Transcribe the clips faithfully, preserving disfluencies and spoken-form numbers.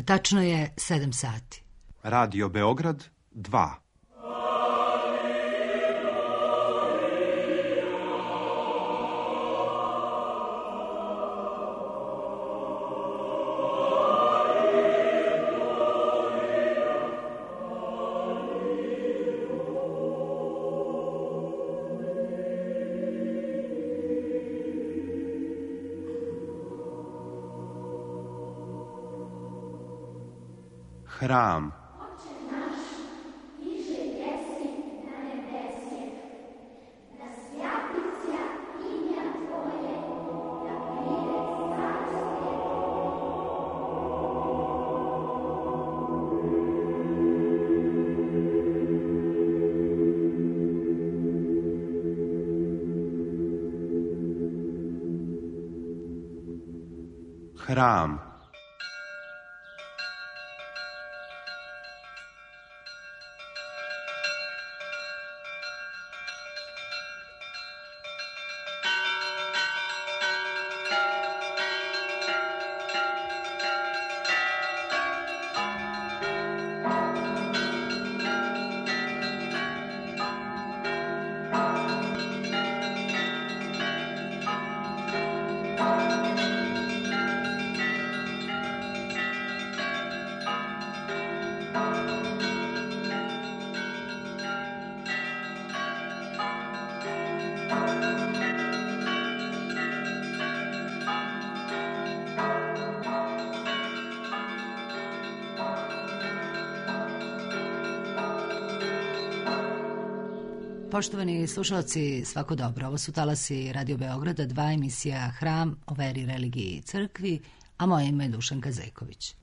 Tačno je sedam sati. Radio Beograd dva. Hram. Hram. Poštovani slušalci, svako dobro. Ovo su talasi Radio Beograda, dva emisija Hram o veri, religiji i crkvi, a moje ime je Dušanka Zeković.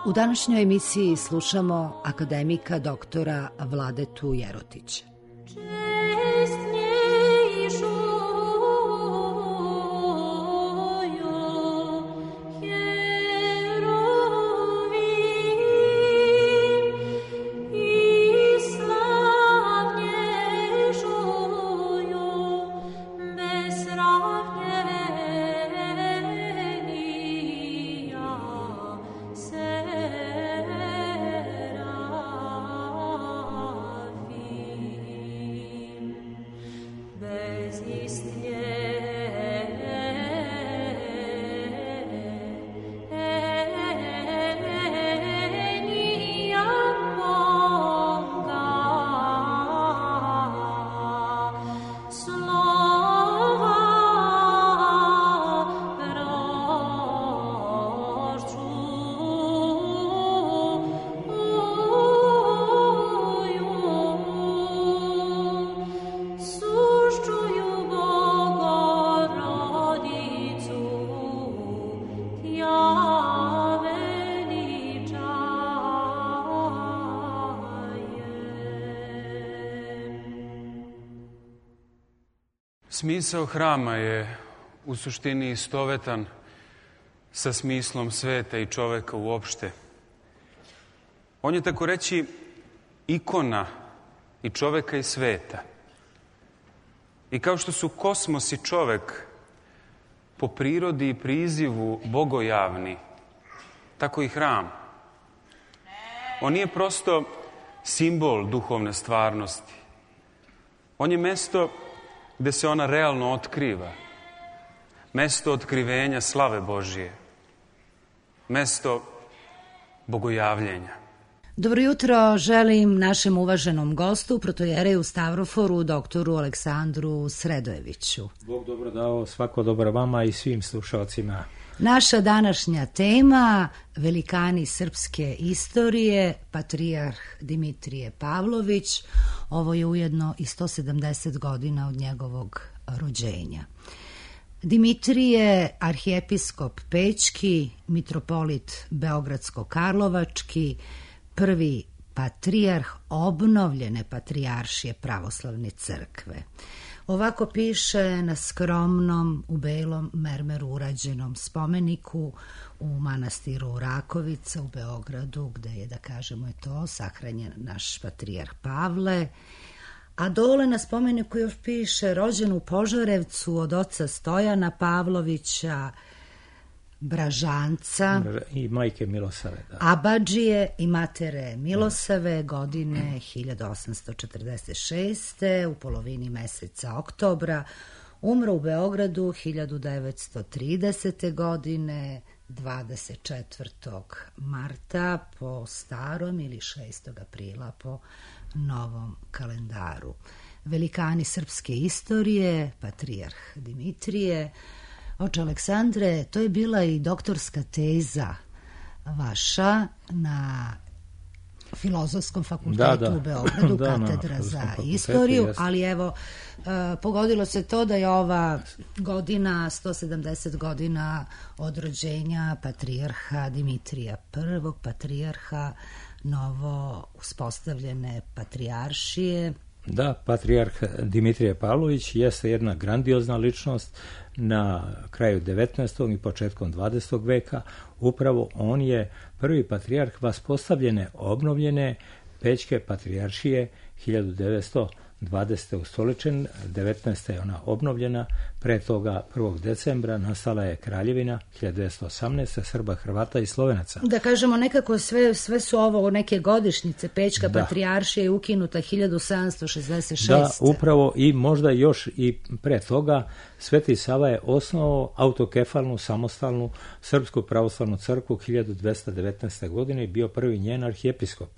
U današnjoj emisiji slušamo akademika doktora Vladetu Jerotića. Smisao hrama je u suštini istovetan sa smislom sveta i čoveka uopšte. On je, tako reći, ikona i čoveka i sveta. I kao što su kosmos i čovek po prirodi i prizivu bogojavni, tako i hram. On nije prosto simbol duhovne stvarnosti. On je mesto gde se ona realno otkriva. Mesto otkrivenja slave Božije. Mesto bogojavljenja. Dobro jutro želim našem uvaženom gostu, protojereju Stavroforu, doktoru Aleksandru Sredojeviću. Bog dobro dao, svako dobro vama i svim slušalcima. Naša današnja tema, velikani srpske istorije, patrijarh Dimitrije Pavlović. Ovo je ujedno i sto sedamdeset godina od njegovog rođenja. Dimitrije, arhijepiskop Pećki, mitropolit Beogradsko-Karlovački, prvi patrijarh obnovljene patrijaršije pravoslavne crkve. Ovako piše na skromnom, u belom mermeru urađenom spomeniku u manastiru Rakovica u Beogradu, gde je, da kažemo je to, sahranjen naš patrijarh Pavle. A dole na spomeniku još piše rođen u Požarevcu od oca Stojana Pavlovića, Bražanca i majke Milosave, da. Abadžije i matere Milosave, godine hiljadu osamsto četrdeset šeste. u polovini meseca oktobra. Umro u Beogradu hiljadu devetsto tridesete. godine, dvadeset četvrtog marta po starom ili šestog aprila po novom kalendaru. Velikani srpske istorije, patrijarh Dimitrije. Oče Aleksandre, to je bila i doktorska teza vaša na Filozofskom fakultetu da, da. u Beogradu, da, katedra za istoriju, jest. Ali evo, uh, pogodilo se to da je ova godina, sto sedamdeset godina od rođenja patrijarha Dimitrija prvog, patrijarha novo uspostavljene patrijaršije. Da, patrijarh Dimitrije Pavlović jeste jedna grandiozna ličnost na kraju devetnaestog i početkom dvadesetog veka. Upravo on je prvi patrijarh vaspostavljene, obnovljene Pećke patrijaršije hiljadu devetsto dvadesete. ustoličen, devetnaeste. je ona obnovljena, pre toga prvog decembra nastala je kraljevina hiljadu devetsto osamnaeste. Srba, Hrvata i Slovenaca. Da kažemo nekako sve, sve su ovo neke godišnjice. Pećka da. patrijaršija je ukinuta hiljadu sedamsto šezdeset šeste. Da, upravo i možda još i pre toga Sveti Sava je osnovao autokefalnu, samostalnu Srpsku pravoslavnu crkvu hiljadu dvesta devetnaeste. godine i bio prvi njen arhijepiskop.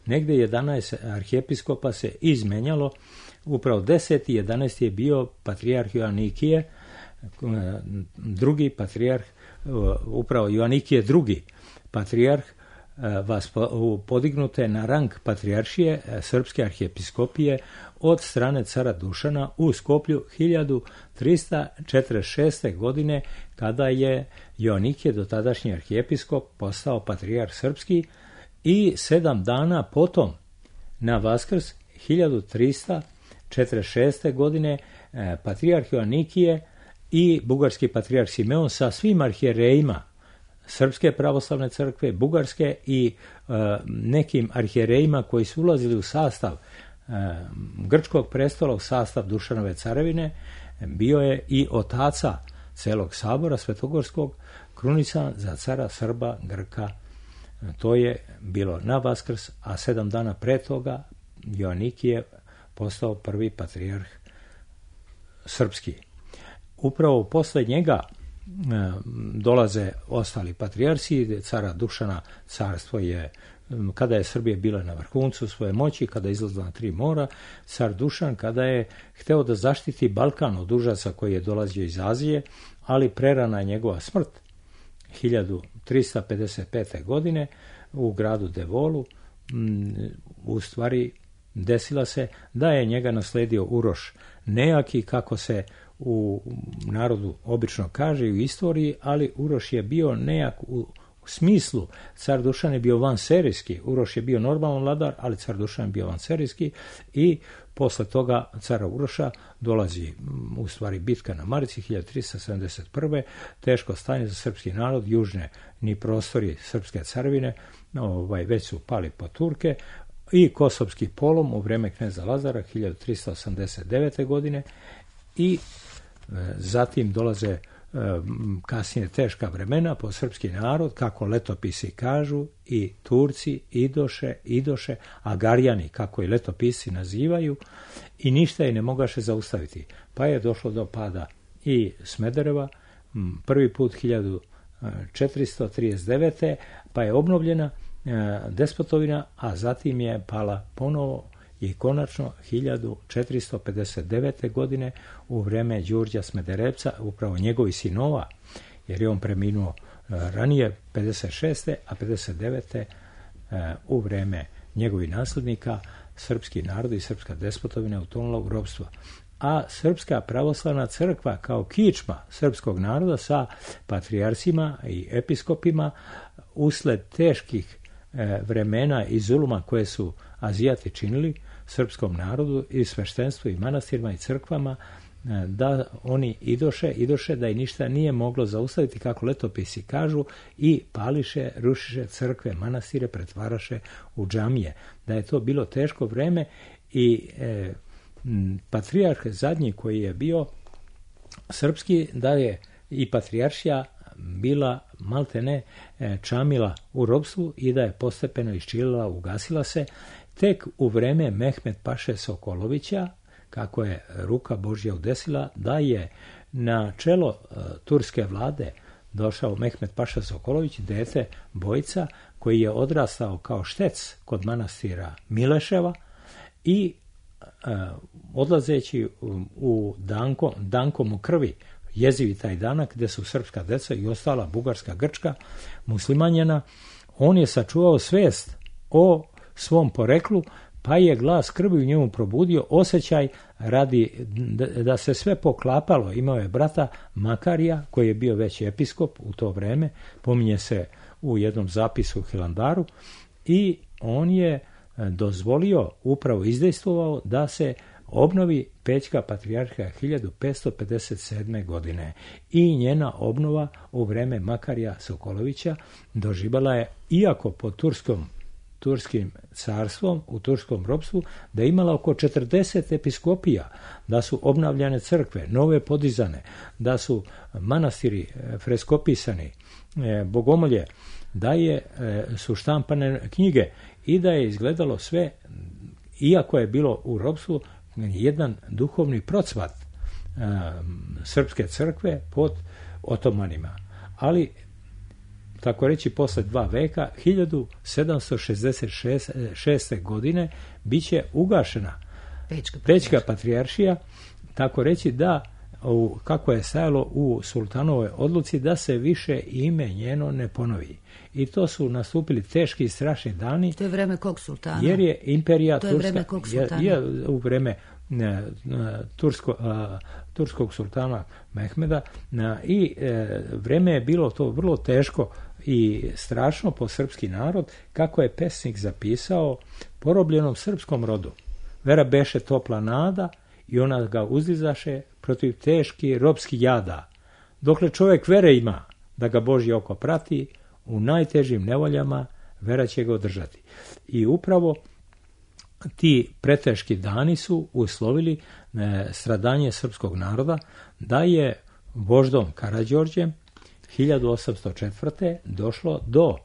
Negde jedanaest arhijepiskopa se izmenjalo, upravo deseti i jedanaesti je bio patrijarh Joanikije, drugi patrijarh, upravo Joanikije drugi patrijarh, vas podignute na rang patrijaršije Srpske arhijepiskopije od strane cara Dušana u Skoplju hiljadu trista četrdeset šeste. godine, kada je Joanikije, dotadašnji arhijepiskop, postao patrijarh srpski. I sedam dana potom, na Vaskrs hiljadu trista četrdeset šeste. godine, patrijarh Joanikije i bugarski patrijarh Simeon sa svim arhijerejima Srpske pravoslavne crkve, Bugarske i e, nekim arhijerejima koji su ulazili u sastav e, grčkog prestola, u sastav Dušanove carevine, bio je i otaca celog sabora svetogorskog, krunisan za cara Srba, Grka. To je bilo na Vaskrs, a sedam dana pre toga Joanikije postao prvi patrijarh srpski. Upravo posle njega e, dolaze ostali patrijarsi. Cara Dušana carstvo je, kada je Srbija bila na vrhuncu svoje moći, kada je izlazila na tri mora, car Dušan, kada je hteo da zaštiti Balkan od užasa koji je dolazio iz Azije, ali prerana je njegova smrt hiljadu trista pedeset pete. godine u gradu Devolu. U stvari desila se da je njega nasledio Uroš Nejaki, kako se u narodu obično kaže i u istoriji, ali Uroš je bio nejak u smislu, car Dušan je bio vanserijski, Uroš je bio normalan vladar, ali car Dušan je bio vanserijski i posle toga cara Uroša dolazi u stvari bitka na Marici hiljadu trista sedamdeset prve. Teško stanje za srpski narod, južne ni prostori srpske carevine ovaj, već su pali po Turke, i Kosovski polom u vreme kneza Lazara hiljadu trista osamdeset devete. godine i e, zatim dolaze e, kasnije teška vremena po srpski narod, kako letopisi kažu, i Turci idoše, idoše, Agarjani, kako i letopisi nazivaju, i ništa je ne mogaše zaustaviti. Pa je došlo do pada i Smedereva, prvi put hiljadu četiristo trideset devete. pa je obnovljena despotovina, a zatim je pala ponovo i konačno hiljadu četiristo pedeset devete. godine u vreme Đurđa Smederevca, upravo njegovih sinova, jer je on preminuo ranije pedeset šeste. a pedeset devete. u vreme njegovih naslednika srpski narod i srpska despotovina utonula u ropstvo. A Srpska pravoslavna crkva kao kičma srpskog naroda sa patrijarsima i episkopima usled teških vremena i zuluma koje su Azijati činili srpskom narodu i sveštenstvu i manastirima i crkvama, da oni idoše, idoše da i ništa nije moglo zaustaviti, kako letopisi kažu, i pališe, rušiše crkve, manastire, pretvaraše u džamije. Da je to bilo teško vreme i e, patrijarh zadnji koji je bio srpski, da je i patrijaršija bila maltene e, čamila u ropstvu i da je postepeno iščilila, ugasila se. Tek u vreme Mehmed Paše Sokolovića, kako je ruka Božja udesila, da je na čelo uh, turske vlade došao Mehmed Paša Sokolović, dete Bojca, koji je odrastao kao štec kod manastira Mileševa i uh, odlazeći u, u Danko, Dankom u krvi, jezivi taj danak, gde su srpska deca i ostala bugarska, grčka, muslimanjena, on je sačuvao svest o svom poreklu, pa je glas krvi u njemu probudio osjećaj radi da se sve poklapalo. Imao je brata Makarija, koji je bio već episkop u to vreme, pominje se u jednom zapisu u Hilandaru, i on je dozvolio, upravo izdejstvovao, da se obnovi Pećka patrijarhija hiljadu petsto pedeset sedme. godine. I njena obnova u vreme Makarija Sokolovića doživjela je, iako pod turskom turskim carstvom, u turskom ropstvu, da je imala oko četrdeset episkopija, da su obnavljane crkve, nove podizane, da su manastiri freskopisani, bogomolje, da je, su štampane knjige i da je izgledalo sve, iako je bilo u ropstvu, jedan duhovni procvat srpske crkve pod otomanima. Ali tako reći, posle dva veka, hiljadu sedamsto šezdeset šeste. godine, bit će ugašena Pećka, Pećka patrijaršija, tako reći da, u, kako je stajalo u sultanovoj odluci, da se više ime njeno ne ponovi. I to su nastupili teški i strašni dani. To je vreme kog sultana? Jer je imperija to je turska, vreme kog sultana? Je, je u vreme ne, tursko, a, turskog sultana Mehmeda, na, i e, vreme je bilo to vrlo teško i strašno po srpski narod, kako je pesnik zapisao: porobljenom srpskom rodu vera beše topla nada i ona ga uzdizaše protiv teški ropski jada. Dokle čovjek vere ima da ga Božje oko prati, u najtežim nevoljama vera će ga održati. I upravo ti preteški dani su uslovili e, stradanje srpskog naroda, da je voždom Karađorđem hiljadu osamsto četvrte. došlo do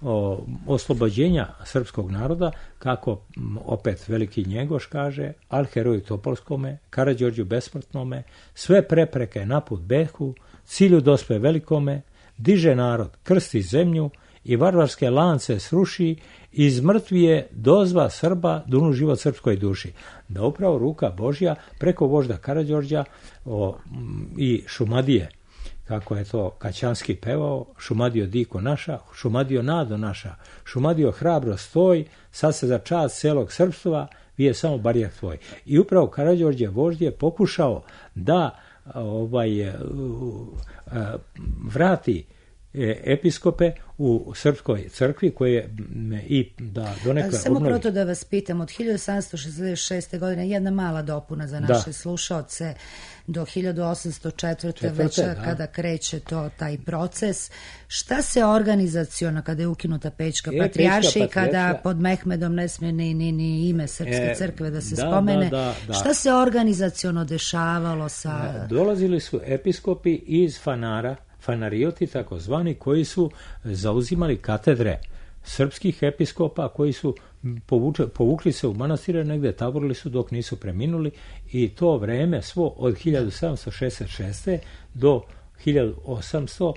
o, oslobođenja srpskog naroda, kako m, opet veliki Njegoš kaže: al heroju Topolskome, Karađorđu besmrtnome, sve prepreke naput behu, cilju dospe velikome, diže narod, krsti zemlju i varvarske lance sruši, iz mrtvije dozva Srba dunu život srpskoj duši. Da upravo ruka Božja preko vožda Karađorđa o, m, i Šumadije, kako je to Kaćanski pevao: Šumadio diko naša, Šumadio nado naša, Šumadio hrabro stoj, sad se za čast celog srpstva vije samo barijak tvoj. I upravo Karađorđe vožd je pokušao da ovaj vrati episkope u srpskoj crkvi, koje i da donekle Samo obnovi. proto da vas pitam, od hiljadu sedamsto šezdeset šeste. godine, jedna mala dopuna za naše da. slušaoce, do hiljadu osamsto četvrte. već da. kada kreće to, taj proces, šta se organizaciono, kada je ukinuta Pećka e, patrijaršija i kada pod Mehmedom ne smije ni, ni, ni ime srpske e, crkve da se da, spomene, da, da, da. šta se organizaciono dešavalo sa... Dolazili su episkopi iz Fanara, fanarioti takozvani, koji su zauzimali katedre srpskih episkopa, koji su povuče, povukli se u manastire, negde taborili su dok nisu preminuli, i to vreme svo od hiljadu sedamsto šezdeset šeste. do hiljadu osamsto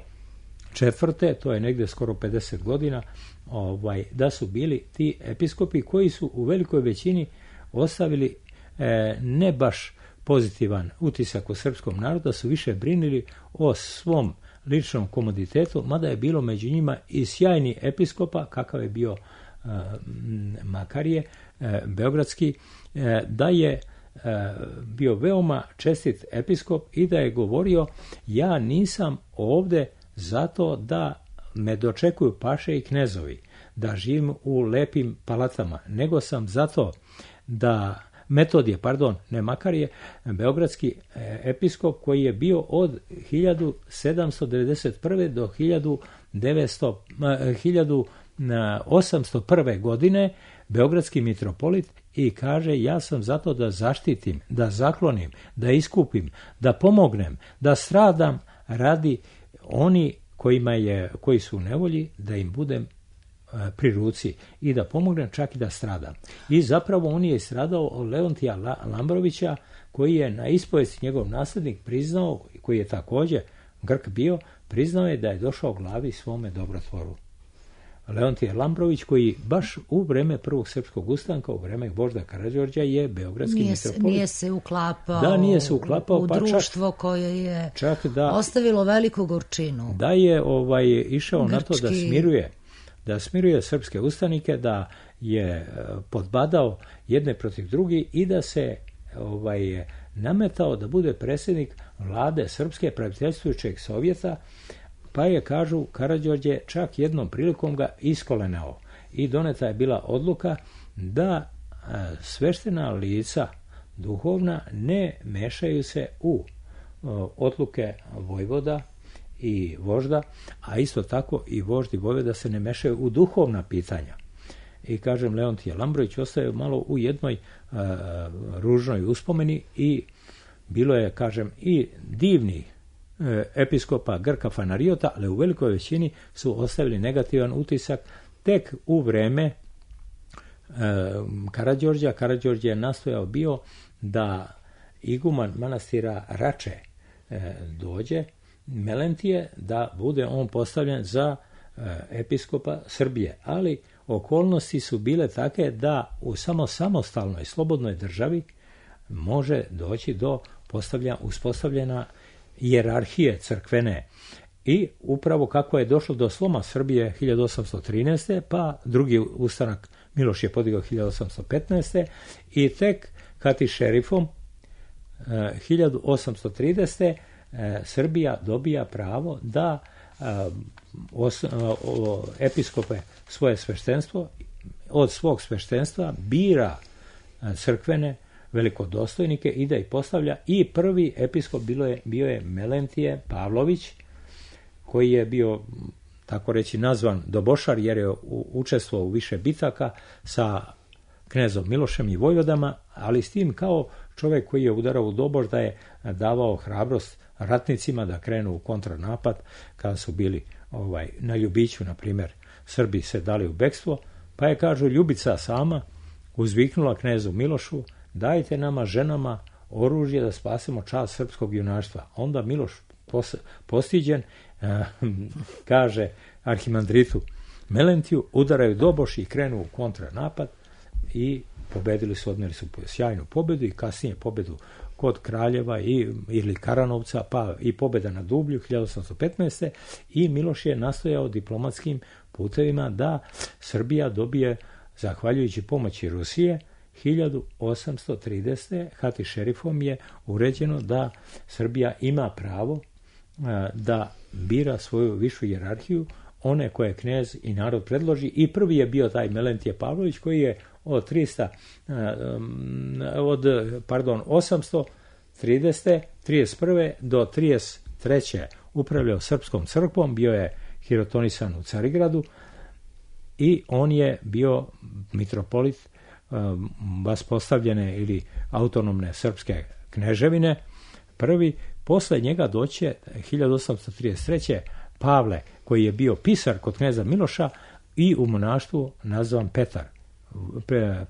četvrte. to je negde skoro pedeset godina, ovaj, da su bili ti episkopi koji su u velikoj većini ostavili e, ne baš pozitivan utisak u srpskom narodu, da su više brinili o svom ličnom komoditetu, mada je bilo među njima i sjajni episkopa, kakav je bio e, Makarije, e, beogradski, e, da je e, bio veoma čestit episkop i da je govorio: ja nisam ovde zato da me dočekuju paše i knezovi, da živim u lepim palatama, nego sam zato da Metodije, pardon, ne Makarije, beogradski episkop koji je bio od hiljadu sedamsto devedeset prve do hiljadu osamsto prve godine beogradski mitropolit, i kaže: ja sam zato da zaštitim, da zaklonim, da iskupim, da pomognem, da stradam radi oni kojima je, koji su u nevolji, da im budem pri ruci i da pomognem, čak i da stradam. I zapravo on je stradao od Leontija Lambrovića, koji je na ispovesti njegov naslednik priznao, koji je također Grk bio, priznao je da je došao glavi svome dobrotvoru. Leontije Lambrović, koji baš u vreme prvog srpskog ustanka, u vreme Vožda Karađorđa, je beogradski nije mitropolit. Se, nije se uklapao, da, nije se uklapao u pa društvo čak, koje je čak da, ostavilo veliku gorčinu. Da je ovaj, išao Grčki. na to da smiruje da smiruje srpske ustanike, da je podbadao jedne protiv drugi i da se ovaj, nametao da bude predsjednik vlade Srpske praviteljstvujućeg Sovjeta, pa je, kažu, Karađorđe čak jednom prilikom ga iskolenao i doneta je bila odluka da sveštena lica duhovna ne mešaju se u odluke vojvoda i vožda, a isto tako i voždi vojvoda se ne mešaju u duhovna pitanja. I, kažem, Leontije Lambrović ostaje malo u jednoj uh, ružnoj uspomeni i bilo je, kažem, i divnih uh, episkopa Grka Fanariota, ali u velikoj većini su ostavili negativan utisak tek u vreme uh, Karađorđa. Karađorđe je nastojao bio da iguman manastira Rače uh, dođe, Melentije, da bude on postavljen za uh, episkopa Srbije, ali okolnosti su bile take da u samo samostalnoj, slobodnoj državi može doći do postavlja, uspostavljena hijerarhije crkvene. I upravo kako je došlo do sloma Srbije hiljadu osamsto trinaeste. pa drugi ustanak Miloš je podigao hiljadu osamsto petnaeste. i tek Hati šerifom eh, hiljadu osamsto tridesete. Eh, Srbija dobija pravo da Os, o, episkope svoje sveštenstvo, od svog sveštenstva bira crkvene velikodostojnike i da ih postavlja, i prvi episkop bilo je, bio je Melentije Pavlović, koji je bio, tako reći, nazvan dobošar jer je učestvovao u više bitaka sa knezom Milošem i vojvodama, ali s tim kao čovjek koji je udarao u doboš, da je davao hrabrost ratnicima da krenu u kontranapad kada su bili ovaj, na Ljubiću, na primjer, Srbi se dali u bekstvo, pa je, kažu, Ljubica sama uzviknula knezu Milošu: dajte nama, ženama, oružje da spasemo čast srpskog junaštva. Onda Miloš pos, postiđen eh, kaže arhimandritu Melentiju: udaraju doboš i krenu u kontranapad, i pobedili su, odnijeli su sjajnu pobedu i kasnije pobedu kod Kraljeva i, ili Karanovca, pa i pobjeda na Dublju hiljadu osamsto petnaeste. i Miloš je nastojao diplomatskim putevima da Srbija dobije, zahvaljujući pomoći Rusije, hiljadu osamsto tridesete. Hati šerifom je uređeno da Srbija ima pravo a, da bira svoju višu hijerarhiju, one koje knez i narod predloži, i prvi je bio taj Melentije Pavlović, koji je od trista od pardon osamsto tridesete trideset prve do trideset treće upravljao srpskom crkvom, bio je hirotonisan u Carigradu i on je bio mitropolit um, vaspostavljene ili autonomne srpske kneževine. Prvi, posle njega doće hiljadu osamsto trideset treće. Pavle, koji je bio pisar kod kneza Miloša i u monaštvu nazvan Petar.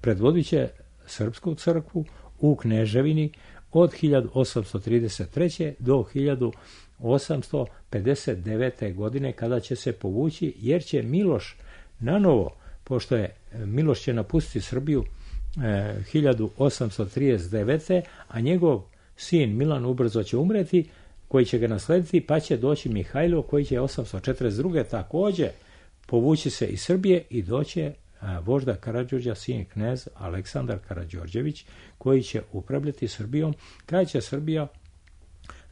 Predvodit će srpsku crkvu u kneževini od hiljadu osamsto trideset treće. do hiljadu osamsto pedeset devete. godine, kada će se povući, jer će Miloš Na novo, pošto je Miloš će napustiti Srbiju e, hiljadu osamsto trideset devete. a njegov sin Milan ubrzo će umreti, koji će ga naslediti, pa će doći Mihajlo koji će osamsto četrdeset druge. također povući se iz Srbije i doće a, vožda Karađorđa, sin knez Aleksandar Karađorđević, koji će upravljati Srbijom. Kraj će Srbija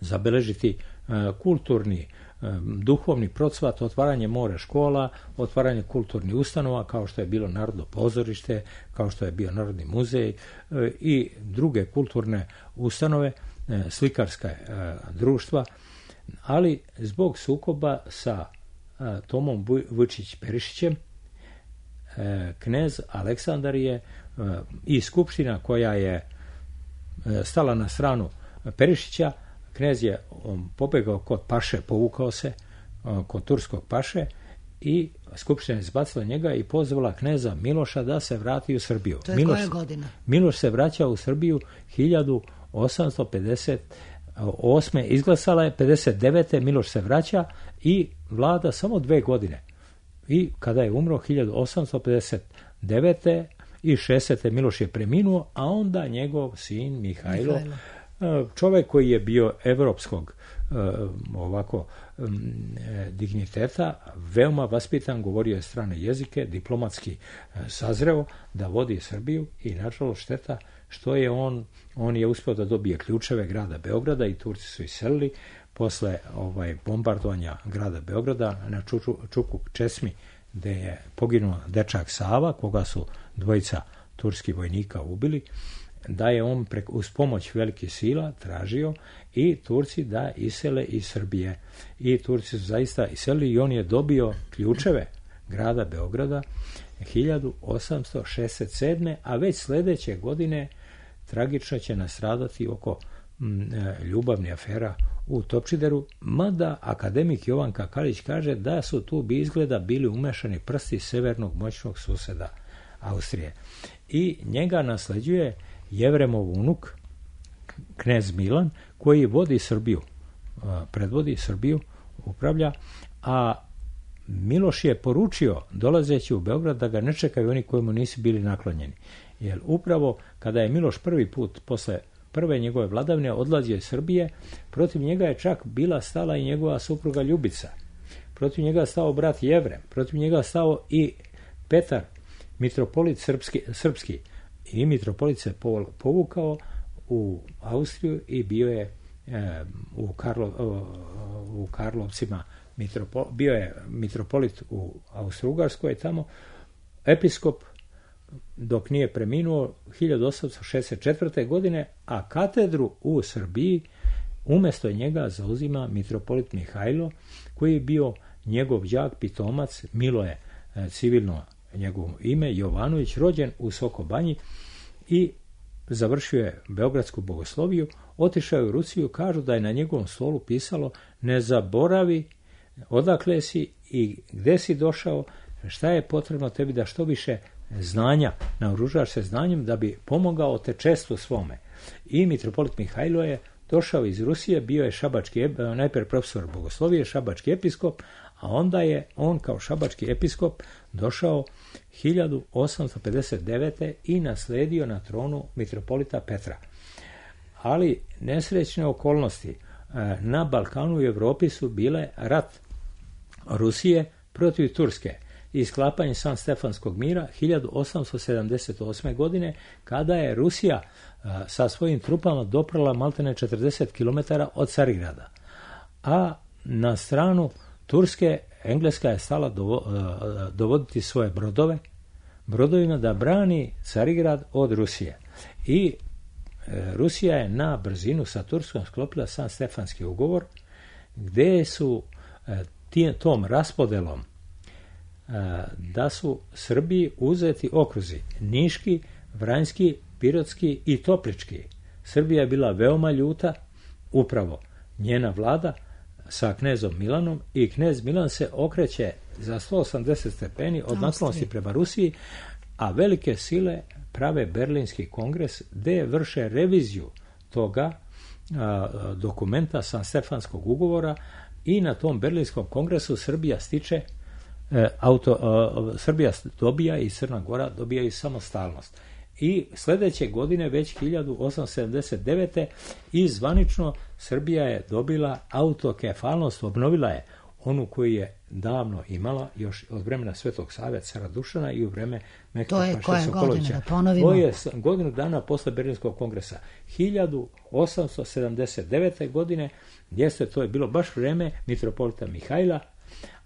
zabeležiti a, kulturni, a, duhovni procvat, otvaranje more škola, otvaranje kulturnih ustanova, kao što je bilo Narodno pozorište, kao što je bio Narodni muzej a, i druge kulturne ustanove, a, slikarska a, društva, ali zbog sukoba sa a, Tomom Vučić-Perišićem, a, knez Aleksandar je a, i skupština koja je a, stala na stranu Perišića, knez je um, pobegao kod paše, povukao se um, kod turskog paše i skupština je izbacila njega i pozvala kneza Miloša da se vrati u Srbiju. To je Miloš, koja godina? Miloš se vraća u Srbiju hiljadu osamsto pedeset osme. Izglasala je pedeset devete. Miloš se vraća i vlada samo dve godine. I kada je umro hiljadu osamsto pedeset devete. i šezdesete. Miloš je preminuo, a onda njegov sin Mihajlo, Mihajlo. čovjek koji je bio evropskog ovako digniteta, veoma vaspitan, govorio je strane jezike, diplomatski sazreo da vodi Srbiju i nažalost šteta što je on, on je uspio da dobije ključeve grada Beograda i Turci su iselili posle ovaj bombardovanja grada Beograda na Čuču, Čukuk Česmi, gde je poginuo dečak Sava, koga su dvojica turskih vojnika ubili, da je on prek, uz pomoć velikih sila tražio i Turci da isele iz Srbije. I Turci su zaista iselili i on je dobio ključeve grada Beograda hiljadu osamsto šezdeset sedme. a već sljedeće godine tragično će nastradati oko m, ljubavnih afera u Topčideru, mada akademik Jovan Kakalić kaže da su tu bi izgleda bili umešani prsti severnog moćnog suseda Austrije. I njega nasleđuje Jevremov unuk, knez Milan, koji vodi Srbiju, predvodi Srbiju, upravlja, a Miloš je poručio, dolazeći u Beograd, da ga ne čekaju oni koji mu nisu bili naklonjeni. Jer upravo kada je Miloš prvi put posle prve njegove vladavine odlazio iz Srbije, protiv njega je čak bila stala i njegova supruga Ljubica. Protiv njega je stao brat Jevrem, protiv njega je stao i Petar, mitropolit srpski, srpski. I mitropolit se povukao u Austriju i bio je e, u, Karlo, u Karlovcima, mitropo, bio je mitropolit u Austro-Ugarskoj tamo, episkop dok nije preminuo hiljadu osamsto šezdeset četvrte. godine, a katedru u Srbiji umjesto njega zauzima mitropolit Mihajlo, koji je bio njegov đak, pitomac, Milo je e, civilno njegovo ime, Jovanović, rođen u Sokobanji i završio je beogradsku bogosloviju, otišao je u Rusiju, kažu da je na njegovom stolu pisalo ne zaboravi odakle si i gde si došao, šta je potrebno tebi da što više znanja, naoružaš se znanjem da bi pomogao tečestvu svome. I mitropolit Mihajlo je došao iz Rusije, bio je šabački, najprije profesor bogoslovije, šabački episkop, a onda je on kao šabački episkop došao hiljadu osamsto pedeset devete. i nasledio na tronu mitropolita Petra. Ali nesrećne okolnosti na Balkanu i Evropi su bile rat Rusije protiv Turske i sklapanje San Stefanskog mira hiljadu osamsto sedamdeset osme. godine, kada je Rusija sa svojim trupama doprala maltene četrdeset kilometara od Carigrada. A na stranu Turske, Engleska je stala dovo, dovoditi svoje brodove, brodovima da brani Carigrad od Rusije. I e, Rusija je na brzinu sa Turskom sklopila San Stefanski ugovor, gde su e, tije, tom raspodelom e, da su Srbiji uzeti okruzi Niški, Vranjski, Pirotski i Toplički. Srbija je bila veoma ljuta, upravo njena vlada, sa knezom Milanom, i knez Milan se okreće za sto osamdeset stepeni od naklonosti prema Rusiji, a velike sile prave Berlinski kongres gde vrše reviziju toga a, dokumenta San Stefanskog ugovora i na tom Berlinskom kongresu Srbija stiče auto, Srbija dobija i Crna Gora dobijaju samostalnost. I sljedeće godine, već hiljadu osamsto sedamdeset devete i zvanično Srbija je dobila autokefalnost, obnovila je onu koju je davno imala, još od vremena Svetog Save, cara Dušana i u vreme Mehmeta Paše Sokolovića. To je godinu dana posle Berlinskog kongresa. hiljadu osamsto sedamdeset devete godine, jeste, to je bilo baš vreme mitropolita Mihajla,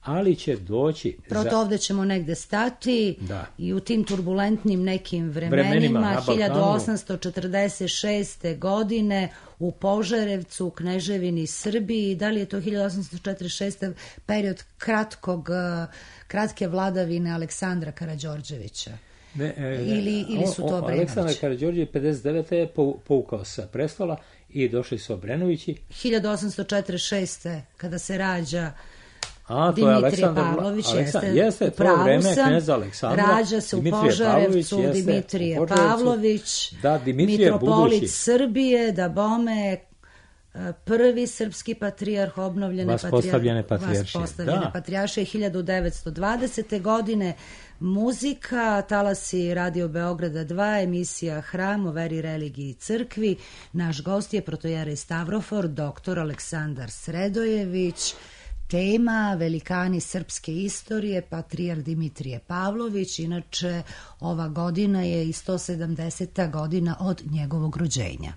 ali će doći... Proto za... ovdje ćemo negde stati da. I u tim turbulentnim nekim vremenima, vremenima hiljadu osamsto četrdeset šeste. godine u Požarevcu, u Kneževini Srbiji, da li je to hiljadu osamsto četrdeset šeste. period kratkog, kratke vladavine Aleksandra Karađorđevića? Ne, e, ili, ili su to Obrenovići? Aleksandar Karađorđević pedeset devete. je povukao sa prestola i došli su Obrenovići. hiljadu osamsto četrdeset šeste. kada se rađa A, Dimitrije Pavlović, Aleksandar, jeste, jeste to vreme kneza Aleksandra. Rađa se u Požarevcu Dimitrije Pavlović, da, Dimitrije mitropolit budući. Srbije, da bome prvi srpski patrijarh obnovljene vaspostavljene patrijaršije. Vaspostavljene patrijaršije hiljadu devetsto dvadesete. godine. Muzika, talasi Radio Beograda dva, emisija Hram o veri, religiji i crkvi. Naš gost je protojerej Stavrofor, doktor Aleksandar Sredojević. Tema velikani srpske istorije, patrijarh Dimitrije Pavlović. Inače, ova godina je i sto sedamdeseta godina od njegovog rođenja.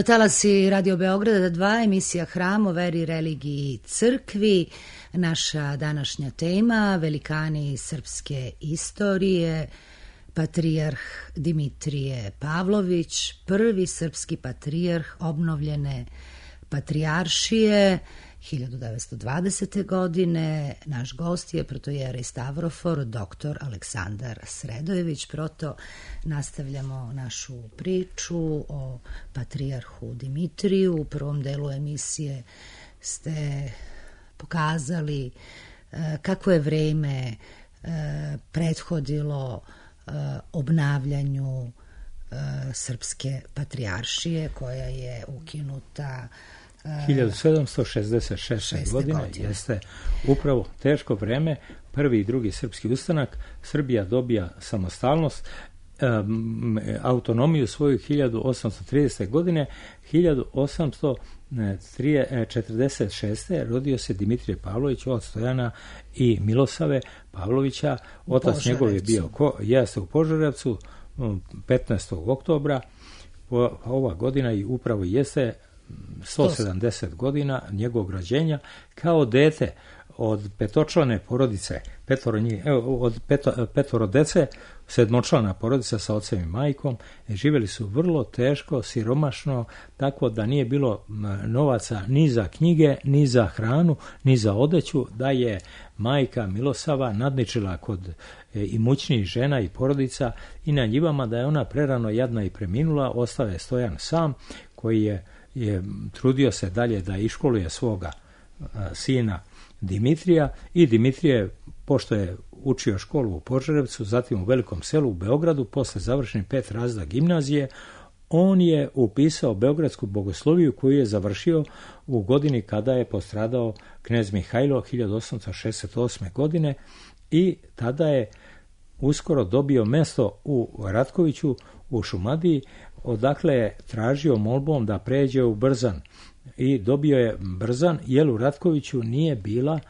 Talasi Radio Beograda dva, emisija Hram o veri, religiji i crkvi. Naša današnja tema, velikani srpske istorije, patrijarh Dimitrije Pavlović, prvi srpski patrijarh obnovljene patrijaršije hiljadu devetsto dvadesete. godine. Naš gost je protojerej Stavrofor, doktor Aleksandar Sredojević. Proto nastavljamo našu priču o patrijarhu Dimitriju. U prvom delu emisije ste pokazali kako je vreme prethodilo obnavljanju srpske patrijaršije koja je ukinuta hiljadu sedamsto šezdeset šeste. godine. Jeste upravo teško vreme, prvi i drugi srpski ustanak, Srbija dobija samostalnost, um, autonomiju svoju hiljadu osamsto tridesete. godine. hiljadu osamsto četrdeset šeste. rodio se Dimitrije Pavlović od Stojana i Milosave Pavlovića. Otac njegov je bio ko, jeste u Požarevcu petnaestog oktobra. Ova godina i upravo jeste sto sedamdeset godina njegovog rođenja. Kao dete od petočlane porodice, petoro njih, evo, od peto, petoro dece, sedmočlana porodica sa ocem i majkom, živjeli su vrlo teško, siromašno, tako da nije bilo novaca ni za knjige, ni za hranu, ni za odeću, da je majka Milosava nadničila kod imućnijih žena i porodica i na njivama da je ona prerano jadna i preminula, ostao je Stojan sam, koji je, je trudio se dalje da iškoluje svoga a, sina Dimitrija, i Dimitrije, pošto je učio školu u Požarevcu, zatim u Velikom Selu u Beogradu, posle završenih pet razreda gimnazije, on je upisao Beogradsku bogosloviju koju je završio u godini kada je postradao knez Mihajlo hiljadu osamsto šezdeset osme. godine i tada je uskoro dobio mesto u Ratkoviću u Šumadiji, odakle je tražio molbom da pređe u Brzan i dobio je Brzan jer u Ratkoviću nije bila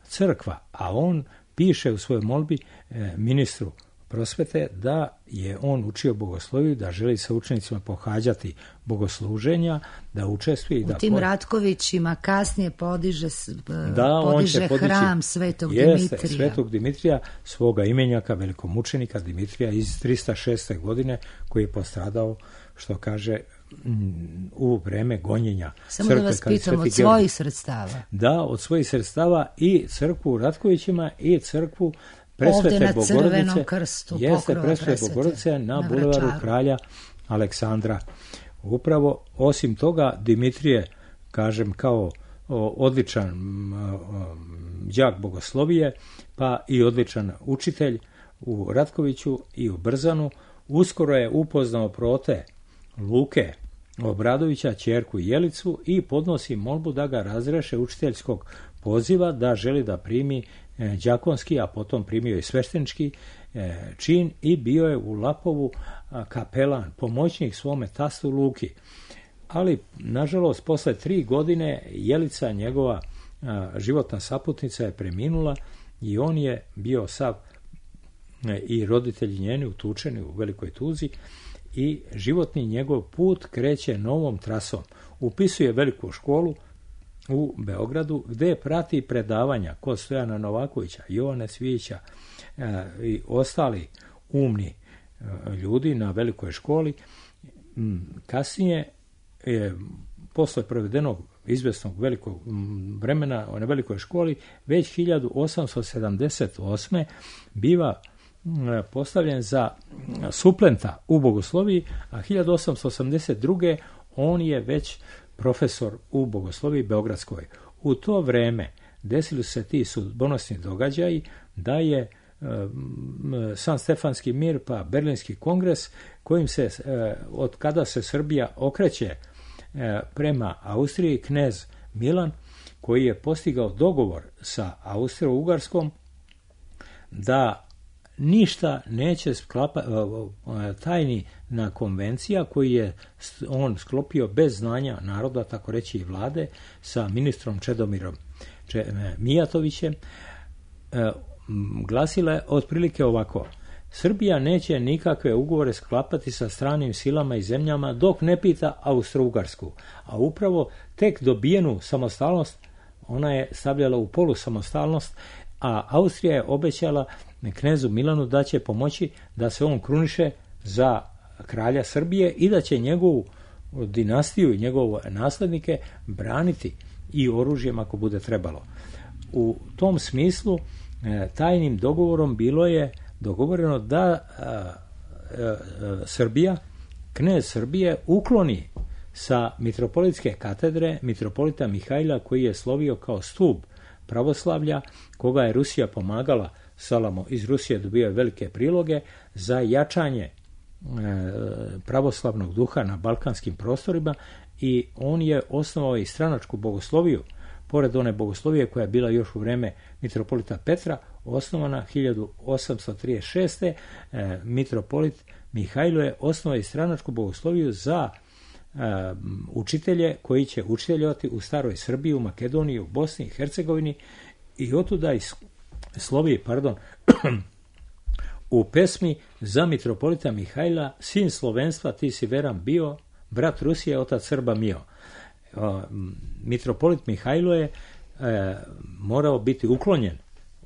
crkva, a on piše u svojoj molbi e, ministru prosvete da je on učio bogosloviju, da želi sa učenicima pohađati bogosluženja, da učestvuje i da... U tim ko... Ratkovićima kasnije podiže, da, podiže podići, hram Svetog jeste, Dimitrija. Svetog Dimitrija, svoga imenjaka, velikomučenika Dimitrija iz tristo šeste. godine, koji je postradao, što kaže, u vreme gonjenja. Samo crkve, da vas pitam, od svojih sredstava? Da, od svojih sredstava, i crkvu u Ratkovićima i crkvu Presvete ovdje na Bogorodice, Crvenom krstu, jeste Presvete Presvete Bogorodice na, na bulevaru Vračaru. Kralja Aleksandra. Upravo, osim toga, Dimitrije, kažem, kao o, odličan m, o, đak bogoslovije, pa i odličan učitelj u Ratkoviću i u Brzanu, uskoro je upoznao prote Luke Obradovića, ćerku Jelicu, i podnosi molbu da ga razreše učiteljskog poziva, da želi da primi e, đakonski, a potom primio i sveštenički e, čin, i bio je u Lapovu a, kapelan, pomoćnik svome tastu Luki. Ali, nažalost, posle tri godine Jelica, njegova a, životna saputnica, je preminula i on je bio sav e, i roditelji njeni utučeni u velikoj tuzi, i životni njegov put kreće novom trasom. Upisuje veliku školu u Beogradu, gde prati predavanja kod Stojana Novakovića, Jovane Cvijića e, i ostali umni e, ljudi na velikoj školi. Kasnije, e, posle provedenog izvesnog velikog vremena na velikoj školi, već hiljadu osamsto sedamdeset osme. biva postavljen za suplenta u bogosloviji, a hiljadu osamsto osamdeset druge. on je već profesor u bogosloviji beogradskoj. U to vreme desili su se ti sudbonosni događaji da je e, San Stefanski mir pa Berlinski kongres, kojim se, e, od kada se Srbija okreće e, prema Austriji, knez Milan, koji je postigao dogovor sa Austro-Ugarskom da ništa neće sklapa, tajni na konvencija koji je on sklopio bez znanja naroda, tako reći i vlade, sa ministrom Čedomirom Mijatovićem, glasila je otprilike ovako: Srbija neće nikakve ugovore sklapati sa stranim silama i zemljama dok ne pita Austro-Ugarsku, a upravo tek dobijenu samostalnost ona je stavljala u polusamostalnost, a Austrija je obećala knezu Milanu da će pomoći da se on kruniše za kralja Srbije i da će njegovu dinastiju i njegove naslednike braniti i oružjem ako bude trebalo. U tom smislu tajnim dogovorom bilo je dogovoreno da a, a, a, Srbija, knez Srbije, ukloni sa mitropolitske katedre mitropolita Mihajla, koji je slovio kao stub pravoslavlja, koga je Rusija pomagala. Salamo iz Rusije dobio velike priloge za jačanje e, pravoslavnog duha na balkanskim prostorima, i on je osnovao i stranačku bogosloviju, pored one bogoslovije koja je bila još u vreme mitropolita Petra, osnovana hiljadu osamsto trideset šeste. E, mitropolit Mihajlo je osnovao i stranačku bogosloviju za e, učitelje koji će učiteljovati u staroj Srbiji, u Makedoniji, u Bosni i Hercegovini, i otuda iz slovi, pardon, u pesmi za mitropolita Mihajla: sin slovenstva ti si veran bio, brat Rusije otac Srba mio. Mitropolit Mihajlo je e, morao biti uklonjen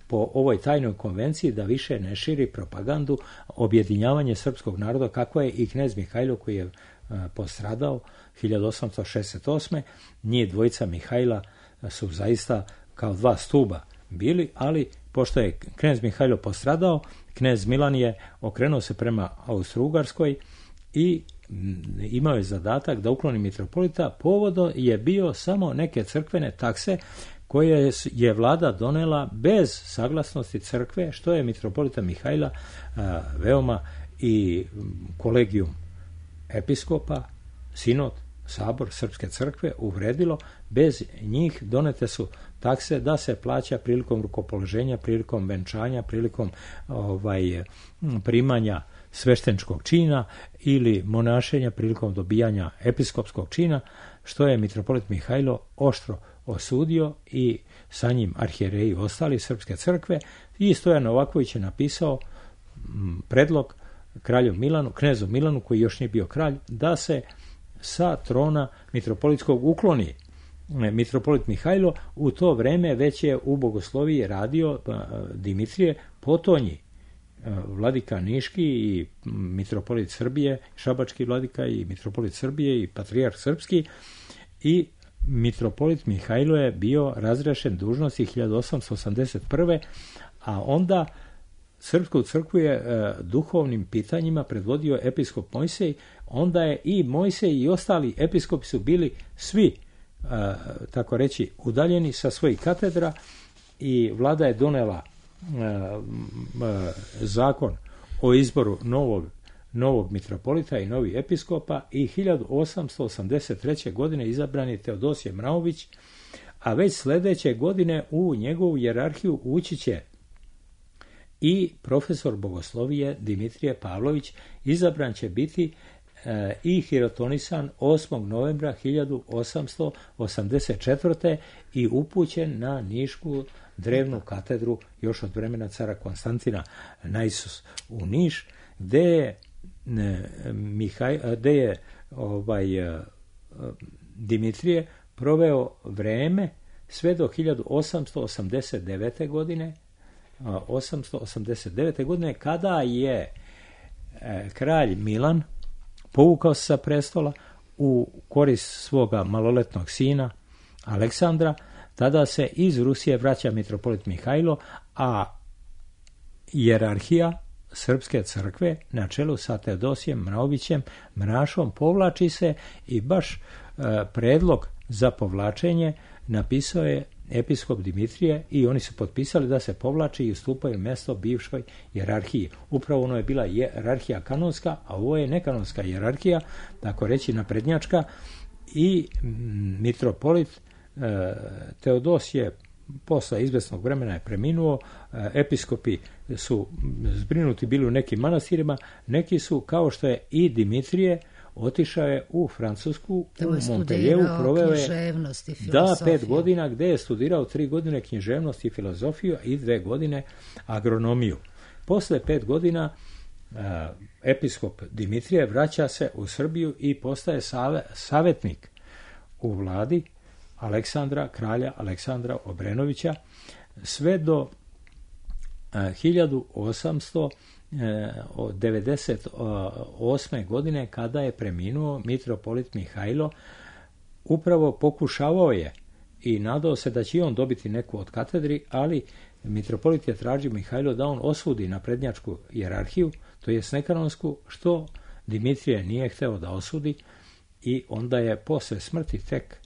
po ovoj tajnoj konvenciji da više ne širi propagandu objedinjavanje srpskog naroda, kako je i knez Mihajlo koji je postradao hiljadu osamsto šezdeset osme. Njih dvojica Mihajla su zaista kao dva stuba bili, ali pošto je knez Mihajlo postradao, knez Milan je okrenuo se prema Austro-Ugarskoj i imao je zadatak da ukloni mitropolita. Povodom je bio samo neke crkvene takse koje je vlada donela bez saglasnosti crkve, što je mitropolita Mihajla a, veoma i kolegijum episkopa, sinod, sabor Srpske crkve uvredilo. Bez njih donete su takse da se plaća prilikom rukopoloženja, prilikom venčanja, prilikom ovaj, primanja svešteničkog čina ili monašenja prilikom dobijanja episkopskog čina, što je mitropolit Mihajlo oštro osudio i sa njim arhijereji ostali Srpske crkve. I Stojan Novaković je napisao predlog kralju Milanu, knezu Milanu, koji još nije bio kralj, da se sa trona mitropolitskog ukloni mitropolit Mihajlo. U to vreme već je u bogosloviji radio Dimitrije Potonji, vladika Niški i mitropolit Srbije, šabački vladika i mitropolit Srbije i patrijarh srpski, i mitropolit Mihajlo je bio razrešen dužnosti hiljadu osamsto osamdeset prve. a onda Srpsku crkvu je e, duhovnim pitanjima predvodio episkop Mojsej. Onda je i Mojsej i ostali episkopi su bili svi, e, tako reći, udaljeni sa svojih katedra i vlada je donela e, e, zakon o izboru novog, novog mitropolita i novih episkopa i hiljadu osamsto osamdeset treće. godine izabran je Teodosije Mraović, a već sljedeće godine u njegovu hijerarhiju ući će i profesor bogoslovije Dimitrije Pavlović. Izabran će biti e, i hirotonisan osmog novembra hiljadu osamsto osamdeset četvrte. i upućen na Nišku drevnu katedru još od vremena cara Konstantina na Isus u Niš, gde je, ne, Mihaj, gde je ovaj, Dimitrije proveo vreme sve do hiljadu osamsto osamdeset devete. godine, osamsto osamdeset devete. godine, kada je e, kralj Milan povukao se sa prestola u korist svoga maloletnog sina Aleksandra. Tada se iz Rusije vraća mitropolit Mihajlo, a hijerarhija Srpske crkve na čelu sa Teodosijem Mraovićem Mrašom povlači se i baš e, predlog za povlačenje napisao je episkop Dimitrije i oni su potpisali da se povlači i ustupaju mjesto bivšoj hijerarhiji. Upravo ono je bila hijerarhija kanonska, a ovo je nekanonska hijerarhija, tako reći naprednjačka, i mitropolit e, Teodosije posle izvesnog vremena je preminuo. E, episkopi su zbrinuti bili u nekim manastirima, neki su, kao što je i Dimitrije, otišao je u Francusku, u Montpellieru, proveo je da pet godina, gde je studirao tri godine književnost i filozofiju i dve godine agronomiju. Posle pet godina uh, episkop Dimitrije vraća se u Srbiju i postaje save, savjetnik u vladi Aleksandra, kralja Aleksandra Obrenovića, sve do uh, hiljadu osamsto devedeset osme. godine, kada je preminuo mitropolit Mihajlo. Upravo pokušavao je i nadao se da će on dobiti neku od katedri, ali mitropolit je tražio Mihajlo da on osudi naprednjačku hijerarhiju, to je nekanonsku, što Dimitrije nije hteo da osudi, i onda je posle smrti tek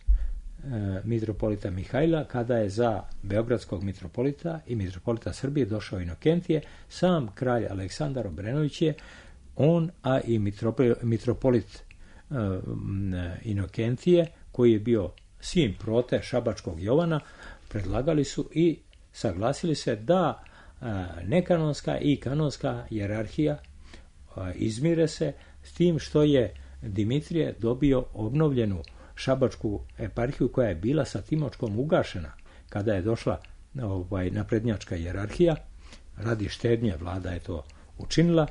mitropolita Mihajla, kada je za beogradskog mitropolita i mitropolita Srbije došao Inokentije, sam kralj Aleksandar Obrenović je on, a i mitropolit uh, Inokentije, koji je bio sin prote šabačkog Jovana, predlagali su i saglasili se da uh, nekanonska i kanonska hijerarhija uh, izmire se, s tim što je Dimitrije dobio obnovljenu šabačku eparhiju koja je bila sa Timočkom ugašena kada je došla ovaj, naprednjačka hijerarhija. Radi štednje vlada je to učinila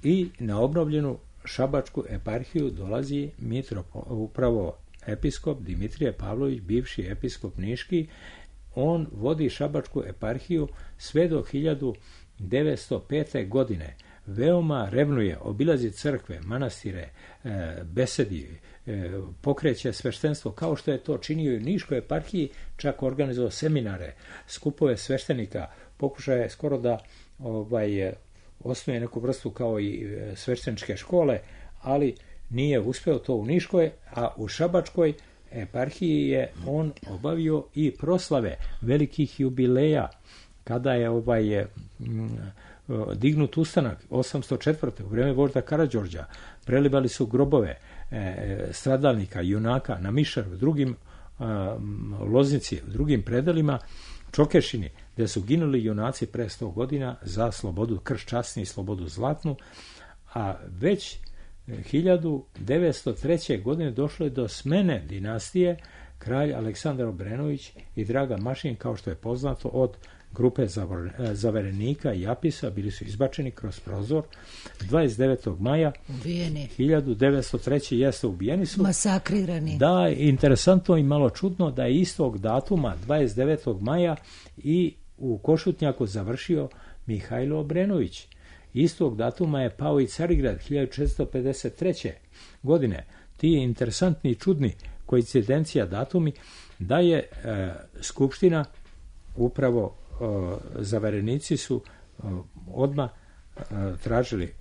i na obnovljenu šabačku eparhiju dolazi mitropo, upravo episkop Dimitrije Pavlović, bivši episkop Niški. on vodi šabačku eparhiju sve do hiljadu devetsto pete. godine. Veoma revnuje, obilazi crkve, manastire, e, besedi, e, pokreće sveštenstvo, kao što je to činio i u Niškoj eparhiji, čak organizovao seminare, skupove sveštenika, pokušaje skoro da ovaj, osnuje neku vrstu kao i svešteničke škole, ali nije uspeo to u Niškoj, a u Šabačkoj eparhiji je on obavio i proslave velikih jubileja, kada je ovaj dignut ustanak osamsto četvrte. u vreme vožda Karađorđa, prelivali su grobove e, stradalnika, junaka na Mišaru, drugim a, Loznici, u drugim predelima, Čokešini, gde su ginuli junaci pre sto godina za slobodu krš časni i slobodu zlatnu, a već hiljadu devetsto treće. godine došlo je do smene dinastije. Kralj Aleksandar Obrenović i Draga Mašin, kao što je poznato, od grupe zaverenika i Apisa bili su izbačeni kroz prozor. dvadeset devetog maja ubijeni. hiljadu devetsto treće. jeste ubijeni su. Masakrirani. Da, interesantno i malo čudno da je istog datuma, dvadeset devetog maja, i u Košutnjaku završio Mihajlo Obrenović. Istog datuma je pao i Carigrad hiljadu četiristo pedeset treće. godine. Ti interesantni i čudni koincidencija datumi da je e, Skupština upravo e, zaverenici su e, odmah e, tražili e,